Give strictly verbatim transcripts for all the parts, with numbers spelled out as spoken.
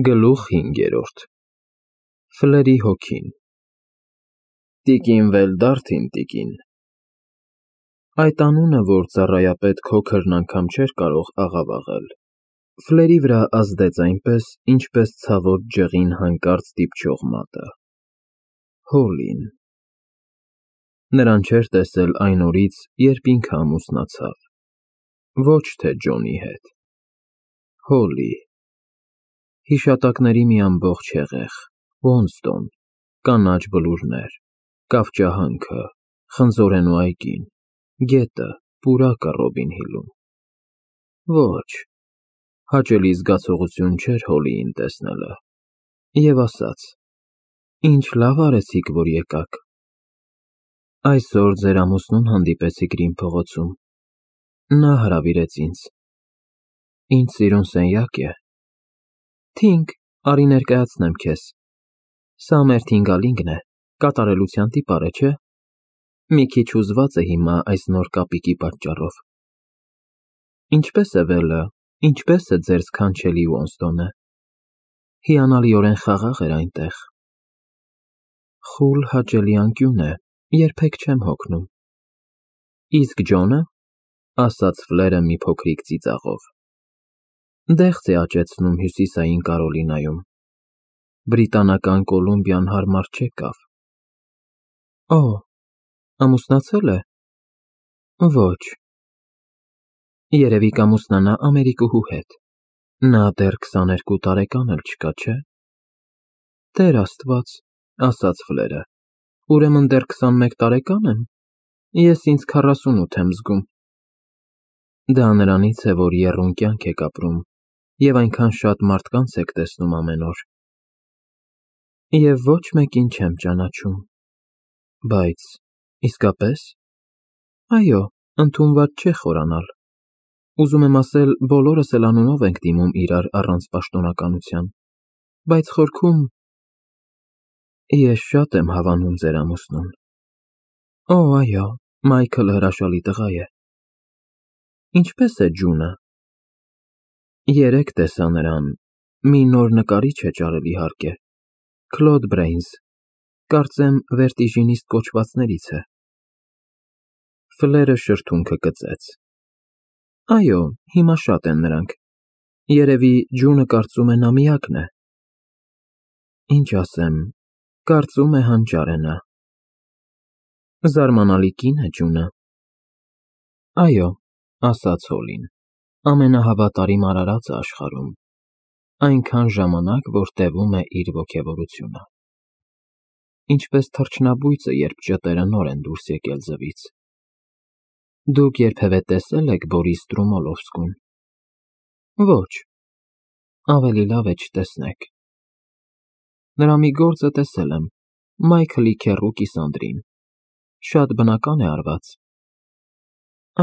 Գլուխ հինգերորդ Ֆլերի հոգին Տիկին Վելդարթին տիկին Այդ անունը, որ ծառայապետ Քոքրն անգամ չէր կարող աղավաղել, Ֆլերի վրա ազդեց այնպես, ինչպես ցավոտ ջղին հանկարծ դիպչող մատը. Հոլին… Նրան չէր տեսել այն օրից, երբ ինքը ամուսնացավ, ոչ թե Ջոնի հետ, Հոլի… Հիշատակների մի ամբողջ հեղեղ, Ոնստոն, կանաչ բլուրներ, կավճահանքը, խնձորենու այգին, գետը, պուրակը Ռոբին Հիլում… Ոչ… Հաճելի զգացողություն չէր Հոլիին տեսնելը, և ասաց. Ինչ լավ արեցիք, որ եկաք… Այսօր ձեր ամուսնուն հանդիպեցի Գրին փողոցում, նա հրավիրեց ինձ… Ինչ սիրուն սենյակ է… Թինգ, արի ներկայացնեմ քեզ… Սա մեր թինգալինգն է, կատարելության տիպար է, չէ՞… Մի քիչ հուզված է հիմա այս նոր կապիկի պատճառով… Ինչպե՞ս է Վելը, ինչպե՞ս է ձեր սքանչելի Ոնստոնը… Հիանալիորեն խաղաղ էր այնտեղ… Խուլ հաճելի անկյուն է, երբեք չեմ հոգնում… Իսկ Ջոնը… ասաց Ֆլերը մի փոքրիկ ծիծաղով… Դեղց է աճեցնում Հյուսիսային Կարոլինայում… Բրիտանական Կոլումբիան հարմար չեկավ… Օ, ամուսնացել է… Ոչ… Երևի կամուսնանա Ամերիկուհու հետ… Նա դեռ քսաներկու տարեկան էլ չկա, չէ… Տեր Աստված… ասաց Ֆլերը… Ուրեմն դեռ քսանմեկ տարեկա՞ն եմ… Ես ինձ քառասունութ եմ զգում… Դա նրանից է, որ եռուն կյանք եք ապրում և այնքան շատ մարդկանց եք տեսնում ամեն օր… Եվ ոչ մեկին չեմ ճանաչում… Բայց… իսկապե՞ս… Այո, ընդունված չէ խորանալ… Ուզում եմ ասել, բոլորս էլ անունով ենք դիմում իրար առանց պաշտոնականության… Բայց խորքում… Ես շատ եմ հավանում ձեր ամուսնուն… Օ, այո, Մայքլը հրաշալի տղա է… Ինչպե՞ս է Ջունը… Երեկ տեսա նրան… Մի նոր նկարիչ է ճարել իհարկե… Քլոդ Բրեյնս… Կարծեմ վերտիժինիստ կոչվածներից է… Ֆլերը շրթունքը կծեց… Այո, հիմա շատ են նրանք… Երևի Ջունը կարծում է նա միակն է… Ինչ ասեմ… Կարծում է հանճար է նա… Զարմանալի կին է Ջունը… Այո, ասաց Հոլին… Ամենահավատարիմ արարածը աշխարհում… Այնքան ժամանակ, որ տևում է իր ոգևորությունը… Ինչպես թռչնաբույծը, երբ ճտերը նոր են դուրս եկել ձվից… Դուք երբևէ տեսե՞լ եք Բորիս Ստրումոլովսկուն… Ոչ… Ավելի լավ է չտեսնեք… Նրա մի գործը տեսել եմ… Մայքլի քեռու Կիսանդրին… Շատ բնական է արված…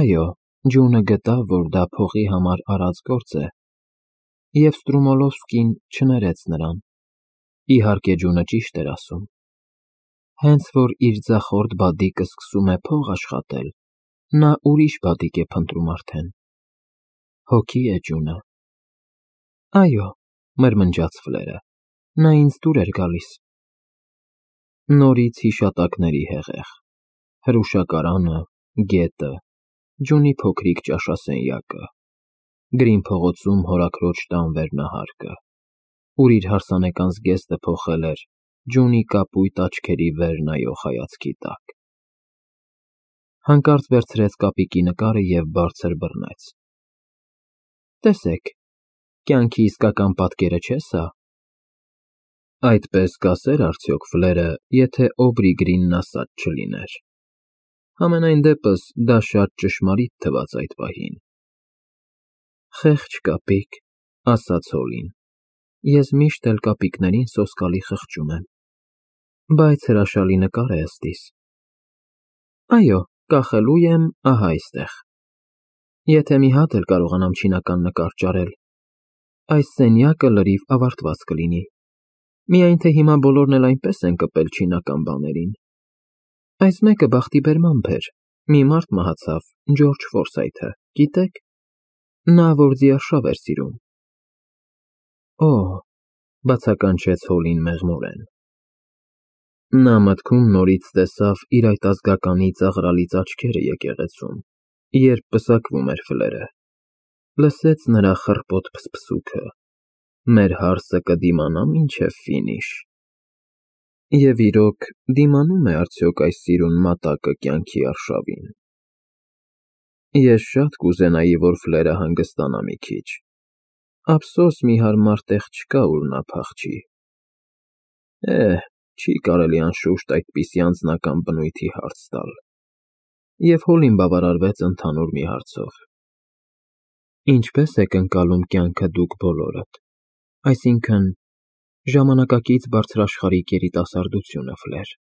Այո, Ջունը գտավ, որ դա փողի համար արած գործ է… Եվ Ստրումոլովսկին չներեց նրան… Իհարկե Ջունը ճիշտ էր ասում… Հենց որ իր ձախորդ բադիկը սկսում է փող աշխատել, նա ուրիշ բադիկ է փնտրում արդեն… Հոգի է Ջունը… Այո, մրմնջաց Ֆլերը… Նա ինձ դուր էր գալիս… Նորից հիշատակների հեղեղ… Հրուշակարանը, գետը, Ջունի փոքրիկ ճաշասենյակը, Գրին փողոցում հորաքրոջ տան վերնահարկը, ուր իր հարսանեկան զգեստը փոխել էր Ջունի կապույտ աչքերի վեր նայող հայացքի տակ… Հանկարծ վերցրեց կապիկի նկարը և բարձր բռնեց… Տեսեք… Կյանքի իսկական պատկերը չէ՞ սա… Այդպես կասե՞ր արդյոք Ֆլերը, եթե Օբրի Գրինն ասած չլիներ… Համենայն դեպս, դա շատ ճշմարիտ թվաց այդ պահին… Խեղճ կապիկ… ասաց Հոլին… Ես միշտ էլ կապիկներին սոսկալի խղճում եմ… Բայց հրաշալի նկար է ըստիս… Այո, կախելու եմ ահա այստեղ… Եթե մի հատ էլ կարողանամ չինական նկար ճարել… Այս սենյակը լրիվ ավարտված կլինի… Միայն թե հիմա բոլորն էլ այնպես են կպել չինական բաներին… Այս մեկը բախտիբերմամբ էր… Մի մարդ մահացավ, Ջորջ Ֆորսայթը, գիտե՞ք… Նա, որ ձիարշավ էր սիրում… Օ, Բացականչեց Հոլին մեղմորեն։ Նա մտքում նորից տեսավ իր այդ ազգականի ծաղրալից աչքերը եկեղեցում, երբ պսակվում էր Ֆլերը, լսեց նրա խռպոտ փսփսուքը. մեր հարսը կդիմանա մինչև ֆինիշ։ Եվ իրոք, դիմանում է արդյոք այս սիրուն մատակը կյանքի արշավին։ Ես շատ կուզենայի, որ Ֆլերը հանգստանա մի քիչ, ափսոս մի հարմար տեղ չկա, ուր նա փախչի։ Էհ, չի կարելի անշուշտ այդպիսի անձնական բնույթի հարց տալ։ Եվ Հոլին բավարարվեց ընդհանուր մի հարցով. Ինչպե՞ս եք ընկալում կյանքը դուք բոլորդ, այսինքն՝ ժամանակակից բարձրաշխարհիկ երիտասարդությունը, Ֆլեր։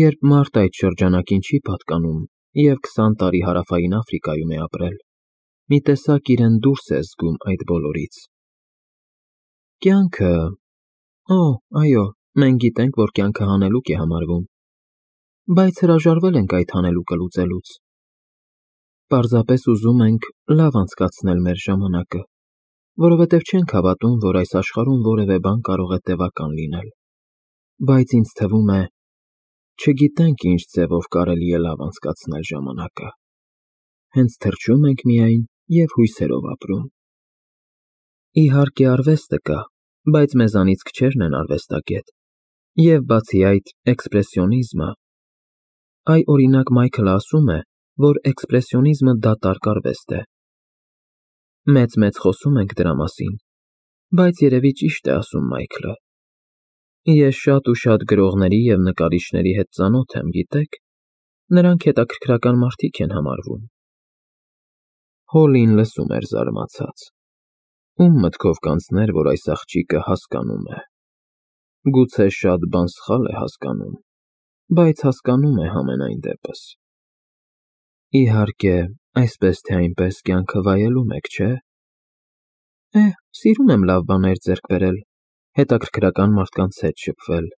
Երբ մարդ այդ շրջանակին չի պատկանում և քսան տարի Հարավային Աֆրիկայում է ապրել, մի տեսակ իրեն դուրս է զգում այդ բոլորից։ Կյանքը… Օ, այո, մենք գիտենք, որ կյանքը հանելուկ է համարվում, բայց հրաժարվել ենք այդ հանելուկը լուծելուց։ Պարզապես ուզում ենք լավ անցկացնել մեր ժամանակը, որովհետև չենք հավատում, որ այս աշխարհում որևէ բան կարող է տևական լինել, բայց ինձ թվում է, չգիտենք ինչ ձևով կարելի է լավ անցկացնել ժամանակը, հենց թռչում ենք միայն և հույսերով ապրում։ Իհարկե արվեստը կա, բայց մեզանից քչերն են արվեստագետ, և բացի այդ, էքսպրեսիոնիզմը… Այ, օրինակ, Մայքլը ասում է, որ էքսպրեսիոնիզմը դատարկ արվեստ է։ Մեծ-մեծ խոսում ենք դրա մասին, բայց երևի ճիշտ է ասում Մայքլը։ Ես շատ ու շատ գրողների և նկարիչների հետ ծանոթ եմ, գիտեք, նրանք հետաքրքրական մարդիկ են համարվում։ Հոլին լսում էր զարմացած։ Ում մտքով կանցներ, որ այս աղջիկը հասկանում է։ Գուցե շատ բան սխալ է հասկանում, բայց հասկանում է համենայն դեպս։ Իհարկե, այսպես թե այնպես կյանքը վայելում եք, չէ՞։ Էհ, սիրում եմ լավ բաներ ձեռք բերել, հետաքրքրական մարդկանց հետ շփվել։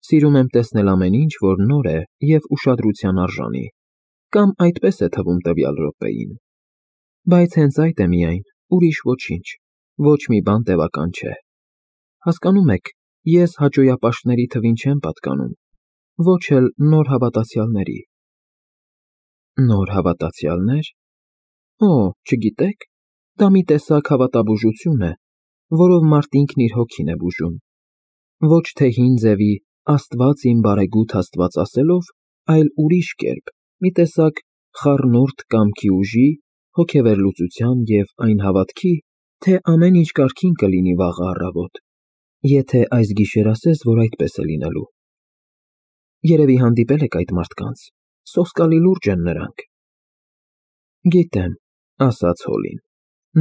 Սիրում եմ տեսնել ամեն ինչ, որ նոր է և ուշադրության արժանի, կամ այդպես է թվում տվյալ րոպեին։ Բայց հենց այդ է միայն, ուրիշ ոչինչ, ոչ մի բան տևական չէ։ Հասկանո՞ւմ եք, ես հաճոյապաշտների թվին չեմ պատկանում, ոչ էլ նոր հավատացյալների։ Նոր հավատացյալնե՞ր։ Օ, չգիտեք, դա մի տեսակ հավատաբուժություն է, որով մարդ ինքն իր հոգին է բուժում, ոչ թե հին ձևի «Աստված իմ բարեգութ Աստված» ասելով, այլ ուրիշ կերպ, մի տեսակ խառնուրդ կամքի ուժի, հոգեվերլուծության և այն հավատքի, թե ամեն ինչ կարգին կլինի վաղը առավոտ, եթե այս գիշեր ասես, որ այդպես է լինելու։ Երևի հանդիպել եք այդ մարդկանց, սոսկալի լուրջ են նրանք։ Գիտեմ, ասաց Հոլին,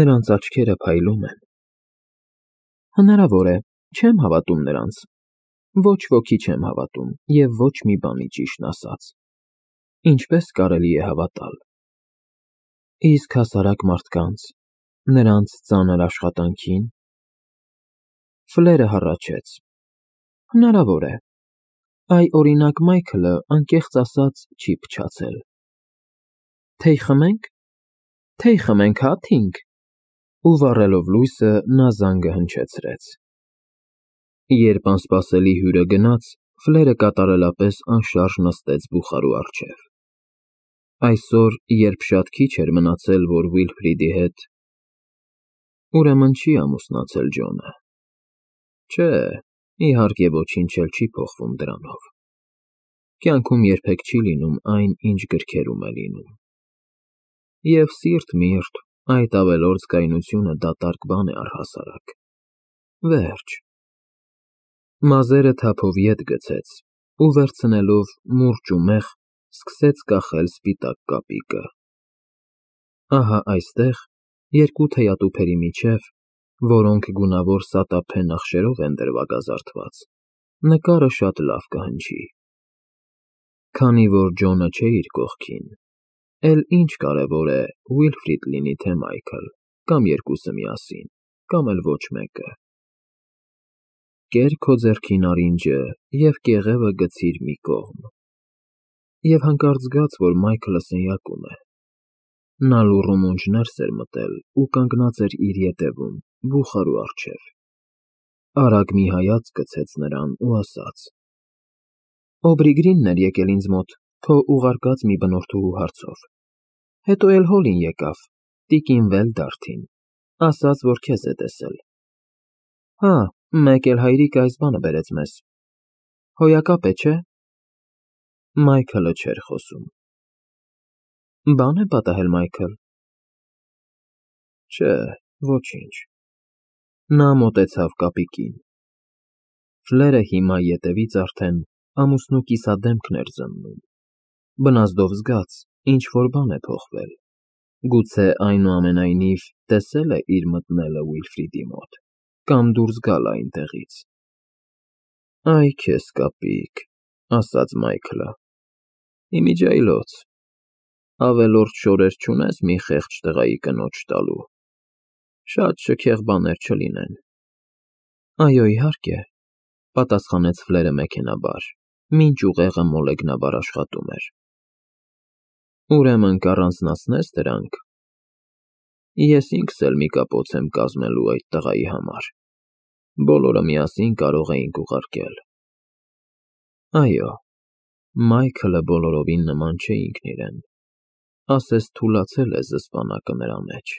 նրանց աչքերը փայլում են։ Հնարավոր է, չեմ հավատում նրանց, ոչ ոքի չեմ հավատում և ոչ մի բանի, ճիշտն ասած։ Ինչպես կարելի է հավատալ։ Իսկ հասարակ մարդկանց, նրանց ծանր աշխատանքին… Ֆլերը հառաչեց։ Հնարավոր է։ Այ, օրինակ, Մայքլը, անկեղծ ասած, չի փչացել։ Թեյ խմե՞նք։ Թեյ խմենք, հա՞, Թինգ։ Ու վառելով լույսը, նա զանգը հնչեցրեց։ Երբ անսպասելի հյուրը գնաց, Ֆլերը կատարելապես անշարժ նստեց բուխարու առջև։ Այսօր, երբ շատ քիչ էր մնացել, որ Վիլֆրիդի հետ… Ուրեմն չի ամուսնացել Ջոնը։ Չէ, իհարկե ոչինչ էլ չի փոխվում դրանով։ Կյանքում երբեք չի լինում այն, ինչ գրքերում է լինում։ Եվ սիրտ միրտ, այդ ավելորդ կայունությունը դատարկ բան է առհասարակ։ Վերջ։ Մազերը թափով ետ գցեց ու վերցնելով մուրճ ու մեղ, սկսեց կախել սպիտակ կապիկը։ Ահա այստեղ, երկու թեյատուփերի միջև, որոնք գունավոր սատափե նախշերով են դրվագազարդված, նկարը շատ լավ կհնչի։ Քանի որ Ջոնը չէ իր կողքին, էլ ինչ կարևոր է Վիլֆրիդ լինի, թե Մայքլ, կամ երկուսը միասին, կամ էլ ոչ մեկը։ Կեր քո ձեռքի նարինջը և կեղևը գցիր մի կողմ։ Եվ հանկարծ զգաց, որ Մայքլը սենյակում է։ Նա լուռումունջ ներս էր մտել ու կանգնած էր իր ետևում, բուխարու առջև։ արագ մի հայացք գցեց նրան ու ասաց. Օբրի Գրինն էր եկել ինձ մոտ քո ուղարկած մի բնորդուհու հարցով, հետո էլ Հոլին եկավ, տիկին Վելդարթին, ասաց, որ քեզ է տեսել։ Հա, մեկ էլ հայրիկը այս բանը բերեց մեզ։ Հոյակապ է, չէ՞։ Մայքլը չէր խոսում։ Բան է պատահել, Մայքլ։ Չէ, ոչինչ։ Նա մոտեցավ կապիկին։ Ֆլերը հիմա ետևից արդեն ամուսնու կիսադեմքն էր զննում։ Բնազդով զգաց, ինչ-որ բան է փոխվել։ Գուցե այնուամենայնիվ տեսել է իր մտնելը Ուիլֆրիդի մոտ, կամ դուրս գալ այնտեղից։ Այ քեզ կապիկ, ասաց Մայքլը։ Իմիջիայլոց, ավելորդ շորեր չունես մի խեղճ տղայի կնոջ տալու։ Շատ շքեղ բաներ չլինեն։ Այո, իհարկե, պատասխանեց Ֆլերը մեքենաբար, մինչ ուղեղը մոլեգնաբար աշխատում էր։ Ուրեմն կառանձնացնես դրանք։ Ես ինքս էլ մի կապոց եմ կազմելու այդ տղայի համար։ Բոլորը միասին կարող էինք ուղարկել։ Այո, Մայքլը բոլորովին նման չէ ինքն իրեն, ասես թուլացել է զսպանակը նրա մեջ։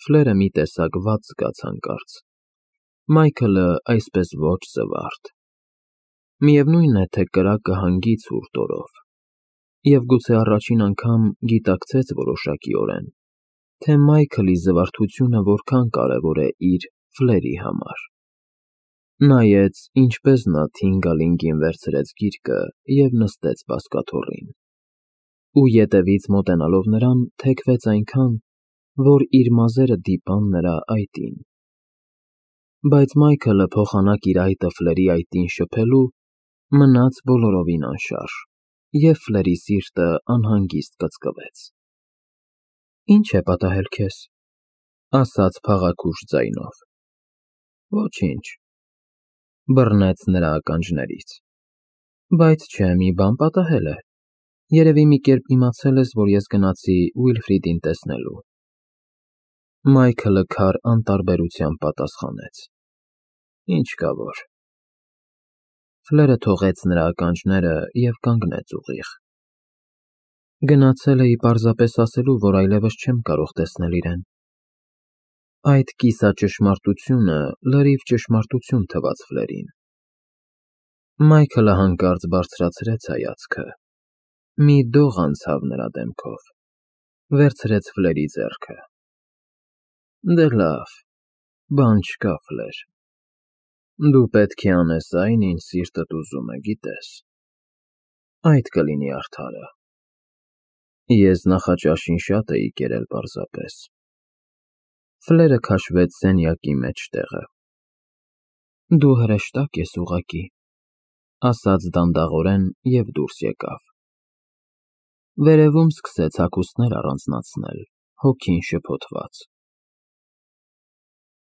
Ֆլերը մի տեսակ վատ զգաց հանկարծ։ Մայքլը այսպես ոչ զվարթ։ Միևնույն է, թե կրակը հանգի ցուրտ օրով։ Եվ գուցե առաջին անգամ գիտակցեց որոշակիորեն, թե Մայքլի զվարթությունը որքան կարևոր է իր Ֆլերի համար։ Նայեց, ինչպես նա Թինգալինգին վերցրեց գիրկը և նստեց բազկաթոռին, ու ետևից մոտենալով նրան թեքվեց այնքան, որ իր մազերը դիպան նրա այտին։ Բայց Մայքլը փոխանակ իր այտը Ֆլերի այտին շփելու մնաց բոլորովին անշարժ, և Ֆլերի սիրտը անհանգիստ կծկվեց։ Ինչ է պատահել քեզ, ասաց փաղաքուշ ձայնով։ Ոչինչ, բռնեց նրա ականջներից։ Բայց չէ, մի բան պատահել է։ Երևի մի կերպ իմացել ես, որ ես գնացի Ուիլֆրիդին տեսնելու։ Մայքլը քար անտարբերությամբ պատասխանեց. Ինչ կա որ։ Ֆլերը թողեց նրա ականջները և կանգնեց ուղիղ։ Գնացել էի պարզապես ասելու, որ այլևս չեմ կարող տեսնել իրեն։ Այդ կիսաճշմարտությունը լրիվ ճշմարտություն թվաց Ֆլերին։ Մայքլը հանկարծ բարձրացրեց հայացքը։ Մի դող անցավ նրա դեմքով, վերցրեց Ֆլերի ձեռքը։ Դե լավ, բան չկա, Ֆլեր։ Դու պետք է անես այն, ինչ սիրտդ ուզում է, գիտես։ Այդ կլինի արդարը։ Ես նախաճաշին շատ էի կերել պարզապես։ Ֆլերը քաշվեց սենյակի մեջտեղը։ Դու հրեշտակ ես ուղղակի, ասաց դանդաղորեն և դուրս եկավ։ Վերևում սկսեց հագուստներ առանձնացնել, հոգին շփոթված։